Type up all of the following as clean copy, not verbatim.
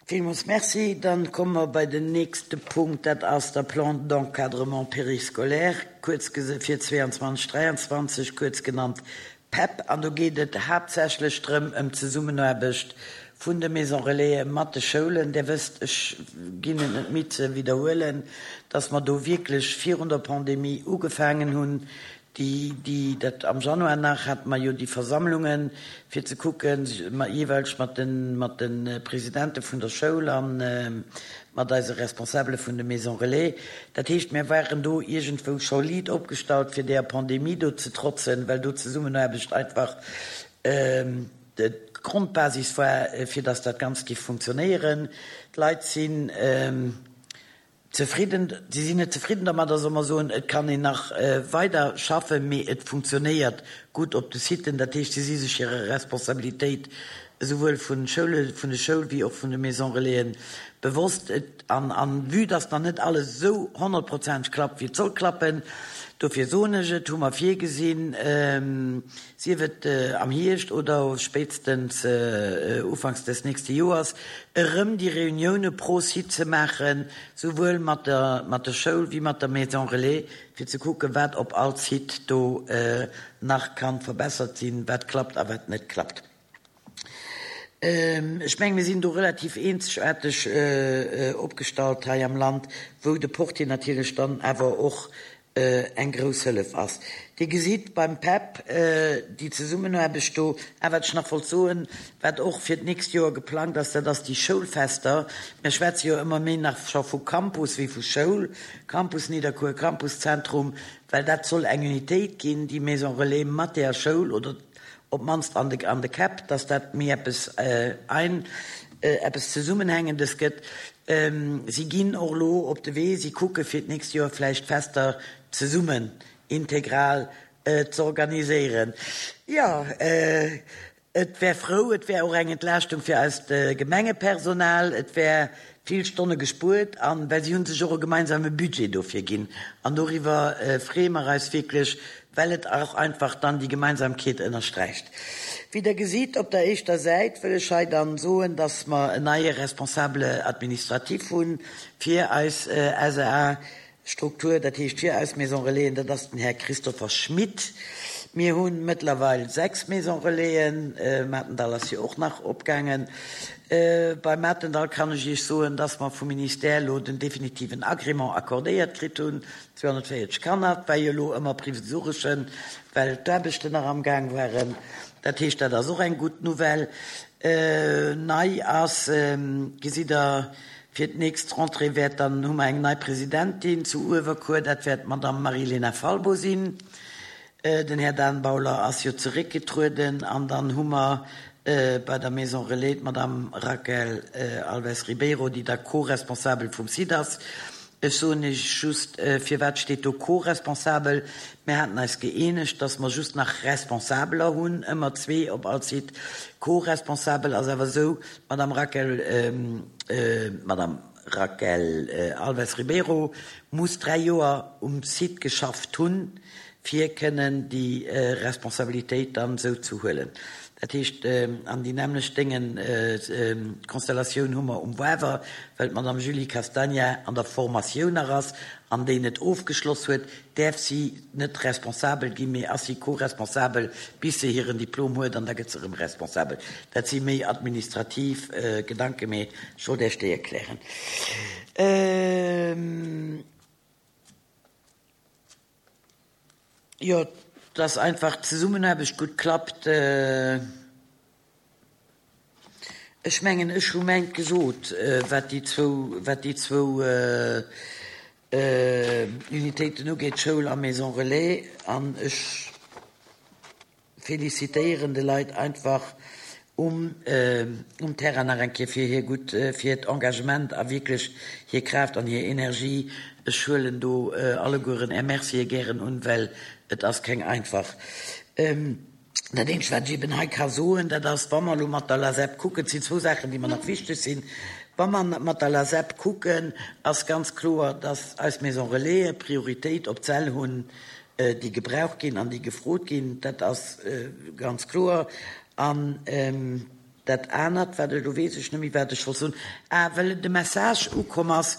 Villmools Merci. Dann komme mer bei den nächste Punkt, dat ass der Plan d'encadrement périscolaire, kuerz fir 22, 23, kuerz genannt PEP. An do geet et haaptsächlech drëm, ëm d'Zesummenaarbecht vun de Maison Relaisen mat de Schoulen. Där wësst, ech ginn et net midd ze widderhuelen, dass mer do wierklech virun der Pandemie ugefaangen hunn, déi, déi, dat am Januar nach, hate mer jo déi Versammlungen, fir ze kucken, jeeweileg mat de, mat de Presidente vun der Schoul a mat eise Responsabele vun de Maisons Relais. Dat heescht, mir waren do iergendwou scho liit opgestallt, fir deeër Pandemie do ze trotzen, well do d'Zesummenaarbecht einfach d'Grondbasis war, fir dass dat Ganzt géif funktionéieren. D'Leit sinn Zefridden, si sinn net zefridden dermadder, solle mer soen, et kann een nach weider schaffen, mee et funktionéiert gutt op de Siten. Dat heescht, si si sech hirer Responsabilitéit esouwuel vun Schoule, vun de Schoul wéi och vun de Maison Relaisen bewosst. Et, an, an vue dass nach net alles esou honnertprozenteg klappt, wéi et soll klappen, dofir soen ech et, hu mer virgesinn, sief et am Hierscht oder spéitstens ufanks des nächste Joers, erëm déi Reunioune pro Site ze maachen, souwuel mat der mat der Schoul wéi mat der Maison Relais, fir ze kucken, wat op all Site do nach ka verbessert sinn, wat klappt a wat net klappt. Ech mengen, mir sinn do relativ eenzegaarteg opgestallt hei am Land, wou de Portier natierlech dann awer och eng grouss Hëllef ass. Dir gesitt beim PEP déi Zesummenaarbecht do. A wat ech nach wollt soen, wat och fir d'nächst Joer geplangt ass, dat ass déi Schoulfester. Mir schwätze jo ëmmer méi nach scho vu Campus wéi vu Schoul, Campus Nidderkuer, Campus Zentrum, well dat soll eng Unitéit ginn, déi Maison Relais mat där Schoul oder op d'mannst an de an de Käpp, dass dat méi eppes ein eppes Zesummenhängendes gëtt. Si ginn och elo op de Wee, si kucke fir d'nächst Joer vläicht Fester zesummen integral z'organiséieren. Jo, et wär frou, et wär och eng Entlaaschtung fir eist Gemengepersonal, et wär vill Stonne gespuert an well si hu sech och e gemeinsame Budget dofir ginn an doriwwer freeë mer eis wierklech, well et och einfach dann déi Gemeinsamkeet ënnersträicht. Wéi Der gesitt op der éischter Säit, wëll ech hei dann soen, dass mer en neie Responsable administratif hu fir eis SEA-Struktur, dat heescht fir eis Maison Relaisen, dat ass den Här Christopher Schmit. Mir hu mëttlerweil 6 Maison Relaisen, Matendall ass jo och nach opgaangen. Beim Matendall kann ech Iech soen, dass mer vum Ministère elo den definitiven Agrément accordéiert kritt hunn. 240 Kanner, et war jo elo ëmmer provisoreschen, well d'Aarbechten nach am Gaang waren. Dat heescht, dat ass och eng gutt Nouvelle. Nei ass, gesitt Der, fir d'nächst Rentrée wäert dann, hu mer eng nei Presidentin zu Uewerkuer, dat wäert d'Madame Marie-Léna Falbo sinn. Den Här Dan Bauler ass jo zeréckgetrueden an dann hu mer bei der Maison Relais d'Madame Raquel Alves Ribeiro, déi da Co-responsabel vum Site ass. Ech soen Iech just, firwat steet do co-responsabel? Mir haten eis gëeenegt, dass mer just nach Responsabeler hunn, ëmmer zwee op all Site. Co-responsabel ass awer esou, d'Madame Raquel, d'Madame Raquel Alves Ribeiro muss dräi Joer um Site geschafft hunn, fir kënnen déi Responsabilitéit dann esou ze huelen. Dat heescht, an déi nämmlecht Déngen, Konstellatioun hu mer um Wawer, well d'Madame Julie Castagna an der Formatioun nach ass an déi net ofgeschloss huet, däerf si net responsabel ginn, mee ass si co-responsabel bis se hiren Diplom huet an da gëtt se erëm responsabel. Dat si méi administrativ Gedanken, mee ech wollt Iech déi erklären. Jo, dass einfach d'Zesummenaarbecht gutt klappt. Ech mengen, ech hu mäint gesot, wat déi zwou, wat déi zwou Unitéiten ugeet, Schoul a Maison Relais. An ech Felicitéieren de Leit einfach um um Terrain nach eng Kéier fir hir gutt, fir hiert Engagement a wierklech hir Kraaft an hir Energie. Ech huelen do allegueren Är Mercië gären un, well et ass keng einfach. Dat eenzegt, wat ech eben hei ka soen, dat ass, wa mer elo mat der LASEP kucken, et sinn zwou Saachen, déi mer nach wichteg sinn, wa mer mat der LASEP kucken, ass ganz kloer, dass eis Maison Relaisen Prioritéit op d'Säll hunn, déi gebraucht ginn an déi gefrot ginn, dat ass ganz kloer. An. Dat anert, wat, elo weess ech net méi, wat ech wollt soen, ah, well de Message ukomm ass,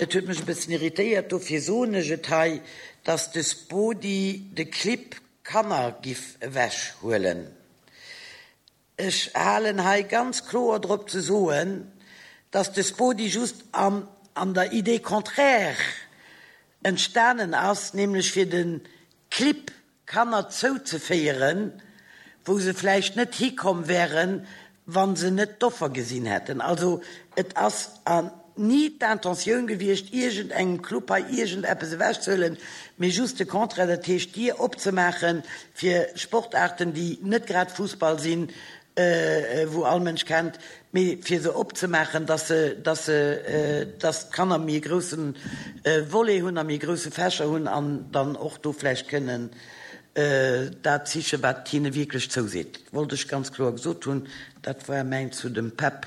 et huet mech e bëssen irritéiert, dofir soen ech et hei, dass de Spodi de Clibb Kanner giff ewechhuelen. Ech halen hei ganz kloer drop ze soen, dass de Spodi just an an der Idée contraire entstanen ass, nämlech fir de Clibb Kanner zouzeféieren, wou se vläicht net hikomm wären, wa se net d'Offer gesinn hätten. Also et ass ni d'Intentioun gewiescht, iergendengem Club hei iergendeppes ewechzehuelen, mee just de Contraire, dat heescht d'Dier opzemaache fir Sportaarten, déi net grad Fussball sinn, wou all Mënsch kennt, mee fir se opzemaachen, dass se, dass se, dass d'Kanner méi e grousse Volet hunn a méi e grousse Fächer hunn an dann och do vläicht kënnen dat sichen, wat hinne wierklech zouseet. Wollt ech ganz kloer gesot hunn. Dat war mäin zu dem PEP.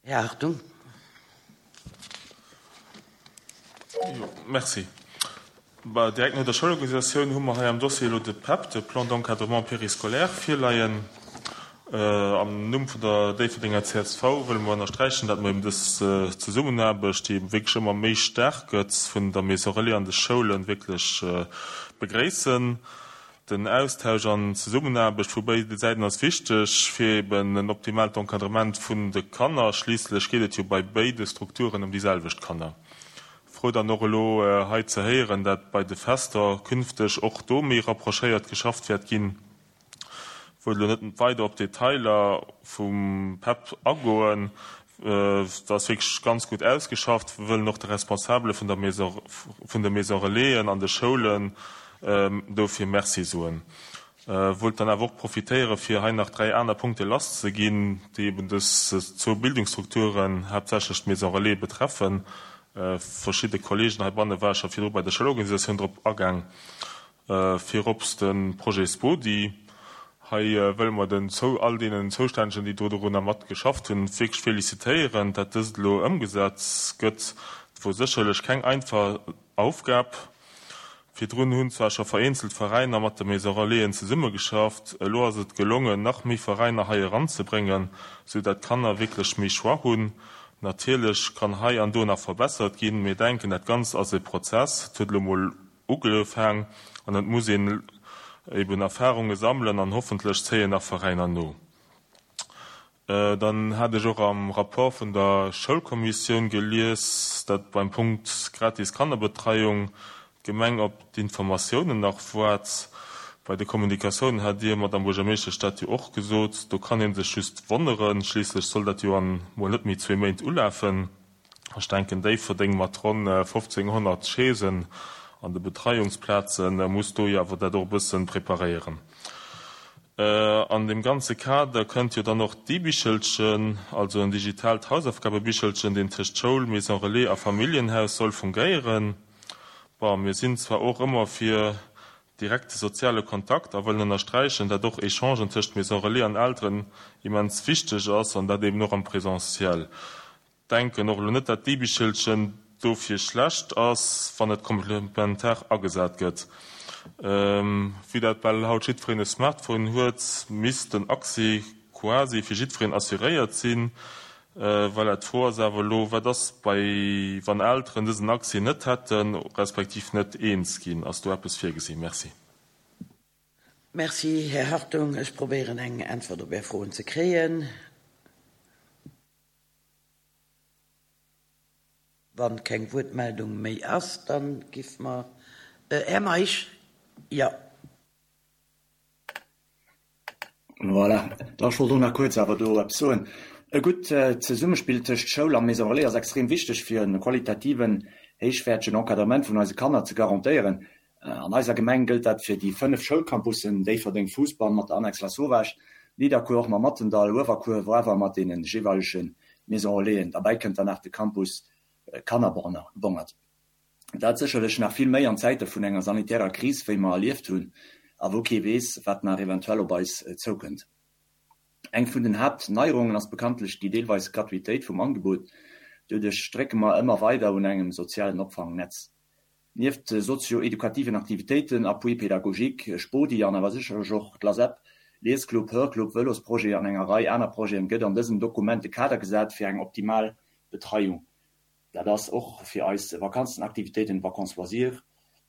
Här Hartung. Jo, merci. Bah, direkt no der Schoulorganisatioun hu mer hei am Dossier elo de PEP, de Plan d'encadrement périscolaire, virleien. Am Numm vun der Déifferdenger csv wëlle mer ënnersträichen, dat mer eben dës Zesummenaarbecht, déi eben wierklech ëmmer méi staark gëtt, vun der Maison Relais an de Schoulen, wierklech begréissen. Den Austausch an d'Zesummenaarbecht vu béide Säiten ass wichteg fir eben en optimaalt Encadrement vun de Kanner. Schliisslech geet et jo bei béide Strukturen ëm déi selwecht Kanner. Frou dann och elo hei ze héieren, dat bei de Fester künfteg och do méi rapprochéiert geschafft wäert ginn. Wëll elo net weider op d'Detailer vum PEP agoen. Et ass wierklech ganz gutt ausgeschafft. Mir wëllen och de Responsabele vun der Maison, vun de Maison Relaisen an de Schoulen dofir Merci soen. Wollt dann awer och profitéiere fir hei nach 3 aner Punkte lass ze ginn, déi eben dës zwou Bildungsstrukturen, haaptsächlech d'Maison Relais, betreffen. Verschidde Kollegen heibanne ware scho virdru bei der Schoulorganisatioun drop agaang. Virops de Projet Spodi. Hei wëlle mer den all deenen Zoustännegen, déi do dorunner mat geschafft hunn, wierklech felicitéieren, dat dëst elo ëmgesat gëtt. Et wor sécherlech keng einfach Aufgab. Virdrun hunn zwar scho vereenzelt Veräiner mat de Maison Relaisen zesummegeschafft, elo ass et gelongen, nach méi Veräiner hei eranzebréngen, sou dat d'Kanner wierklech méi Choix hunn. Natierlech kann hei an do nach verbessert ginn. Mir denken, dat Ganzt ass e Prozess. Et huet elo mol Ugefaang an et muss een eben Erfahrunge sammelen an hoffentlech zéien nach Veräiner no. Dann hat ech och am Rapport vun der Schoulkommissioun gelies, dat beim Punkt gratis Kannerbetreiung d'Gemeng op d'Informatiounen nach woart. Bei de Kommunikatiounen hat Dir, Madamm Buergermeeschtesch, dat jo och gesot. Do kann ee sech just wonneren, schliisslech soll dat jo an mol net méi zwee Méint ulafen. Ech denken, Déifferdeng mat ronn 1.500 Chaisen an de Betreiungsplaze muss do jo awer dat och e bësse preparéieren. An deem ganze Kader kënnt jo dann och d'e-Bichelchen, also en digitaalt Hausaufgabebichelchen, deen tëscht Schoul, Maison Relais a Familljenhaus soll fungéieren. Bon, mir sinn zwar och ëmmer fir direkte soziale Kontakt a wëllen ënnersträichen, dat och Echangen tëscht Maison Relais an Elteren immens wichteg ass an dat eben och am Présentiel. Denken och elo net dat d'E-Bichelchen dofir schlecht ass, wann et komplementar agesat gëtt. Vue dat bal haut jiddwereen e Smartphone huet, misst den Accès quasi fir jiddwereen assuréiert sinn. Voilà, d'Fro ass awer elo, wat ass bei wann Elteren dësen Accès net hätten, respektiv net eens ginn? Ass do eppes virgesinn? Merci. Merci, Här Hartung. Ech probéieren eng Äntwert op Är Froen ze kréien. Wann keng Wuertmeldung méi ass, dann giff mer, Här Meisch, jo. Voilà, da ech wollt och nach kuerz awer do eppes soen. E gutt Zesummespill tëscht Schoul a Maison Relais ass extrem wichteg fir e qualitativen, héichwäertegen Encadrement vun eise Kanner ze garantéieren. An eiser Gemeng gëllt dat fir déi 5 Schoulcampussen, Déifferdeng, Fousbann mat der Annex Lasauvage, Nidderkuer och mam Mattendall, Uewerkuer, Woarwer mat deene jeeweilege Maison Relaisen. Derbäi kënnt dann nach de Campus Kannerbongert. Dat sécherlech nach vill méi an Zäite vun enger sanitärer Kris, wéi mer erlieft hunn a wou kee weess, wat nach eventuell op eis zoukënnt. Eng vun den Haaptneierungen ass bekanntlech déi deelweis Gratuitéit vum Angebot. Doduerch drécke mer ëmmer weider un engem sozialen Opfangnetz. Nieft sozio-edukativen Aktivitéiten, Appui pédagogique, Spodi an awer sécherlech och d'LASEP, Liesclub, Hörclub, Vëlosprojet an enger Rei aner Projeten, gëtt an dësem Dokument de Kader gesat fir eng optimal Betreiung. Dat ass och fir eis Vakanzenaktivitéiten, Vacances loisirs,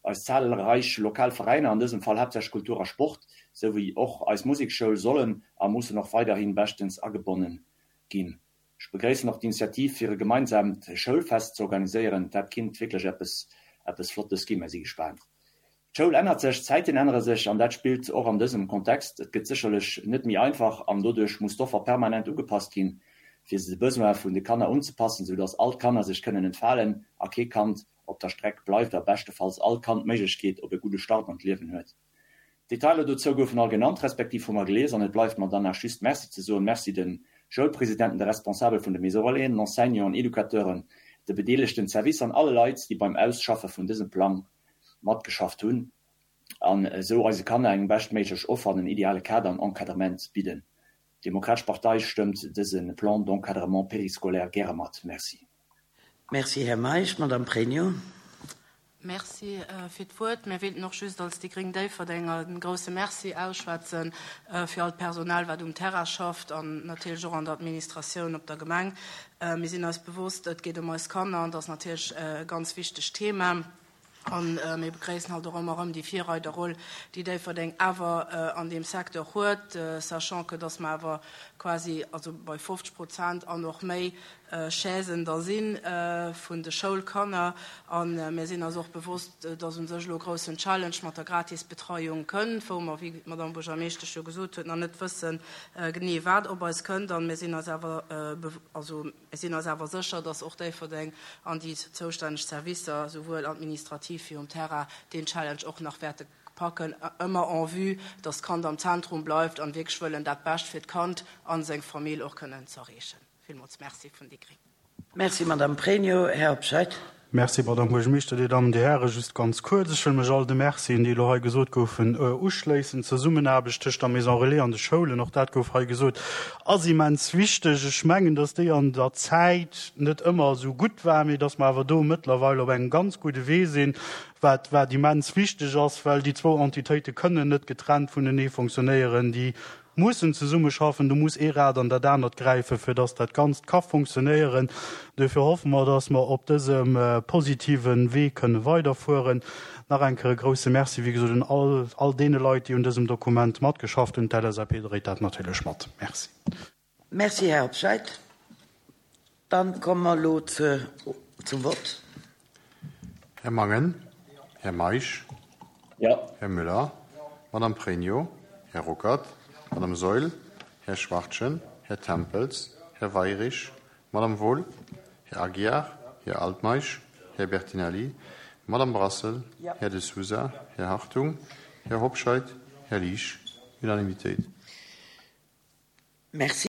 eis zahlreich lokal Veräiner, an dësem Fall haaptsächlech Kultur a Sport, sou wéi och eis Musekschoul sollen a mussen och weiderhi beschtens agebonnen ginn. Ech begréissen och d'Initiativ fir e gemeinsaamt Schoulfest ze organiséieren. Dat kinnt wierklech eppes eppes Flottes ginn. Mer si gespaant. D'Schoul ännert sech, d'Zäiten ännere sech an dat spillt och an dësem Kontext. Et gëtt sécherlech net méi einfach an doduerch muss d'Offer permanent ugepasst ginn, fir se de Besoin vun de Kanner unzepassen, sou dass all d'Kanner sech kënnen entfalen a kee Kand op der Streck bleift a beschtefalls all Kand d'Méiglechkeet op e gudde Start an d'Liewen huet. D'Detailer dozou goufen all genannt, respektiv hu mer gelies an et bleift mer dann nach just Merci ze soen. Merci de Schoulpresidenten, de Responsabel vun de Maisons Relaisen, den Enseignanten, Educateuren, de bedeelegten Servicer an alle Leit, déi beim Ausschaffe vun dësem Plang matgeschafft hunn an esou eise Kanner eng beschtméiglech Offer an en ideale Kader an Encadrement bidden. D'Demokratesch Partei stëmmt dëse Plan d'encadrement périscolaire gäre mat. Merci. Merci, Här Meisch. Madame Pregno. Merci fir d'Wuert. Mir wéilten och just als déi gréng Déifferdenger e grouse Merci ausschwätze fir all d'Personal, wat um Terrain schafft an natierlech och an der Administratioun op der Gemeng. Mir sinn eis bewosst, et geet ëm eis Kanner an dat ass natierlech e ganz wichtegt Thema. A mir begréissen halt och ëmmer erëm déi Virreiderroll, déi Déifferdeng awer an deem Secteur huet, sachant que dass mer awer quasi, also bei 50 Prozent an och méi, Chaisen da si vun de Schoulkanner. A mir sinn eis och bewosst, dass u sech elo e groussen Challenge mat der Gratisbetreiung kënnt, wou mer, wéi d'Madame Buergermeeschtesch jo gesot huet, nach net wësse genee, wat op eis kënnt. A mir sinn eis awer, also mir sinn eis awer sécher, dass och Déifferdeng an déi zoustänneg Servicer, souwuel administrativ wéi um Terrain, deen Challenge och nach wäerte packen, ëmmer en vue, dass d'Kand am Zentrum bleift an wierklech wëllen dat Bescht fir d'Kand a seng Famill och kënnen z'erreechen. Villmools Merci vun déi gréng. Merci, Madame Pregno. Här Hobscheit. Merci, Madame Buergermeeschter, Dir Dammen, Dir Hären. Just ganz kuerz, Ech wëll mech all de Mercien, déi elo hei gesot goufen, uschléissen. D'Zesummenaarbecht tëscht der Maison Relais an de Schoulen, och dat gouf hei gesot, ass immens wichteg. Ech mengen, dass déi an der Zäit net ëmmer esou gutt war, mee dass mer awer do mëttlerweil op engem ganz gudde Wee sinn, wat, wat immens wichteg ass, well déi zwou Entitéite kënnen net getrennt vunenee fonctionnéieren. Déi mussen zesummeschaffen, do muss ee Rad an dat anert gräifen, fir dass dat Ganzt ka funktionéieren. Duerfir hoffe mer, dass mer op dësem positive Wee kënne weiderfueren. Nach eng Kéier e grouse Merci, wéi gesot, un all, all deene Leit, déi un dësem Dokument matgeschafft hunn. D'LSAP dréit dat natierlech mat. Merci. Merci, Här Hobscheit. Dann komme mer elo zum Vott. Här Mangen, Här Meisch, Här Müller, Madame Pregno, Här Ruckert, Madame Saeul, Här Schwachtgen, Här Tempels, Här Weirich, Madame Wohl, Här Aguiar, Här Altmeisch, Här Bertinelli, Madame Brassel, Här De Sousa, Här Hartung, Här Hobscheit, Här Liesch. Unanimitéit. Merci.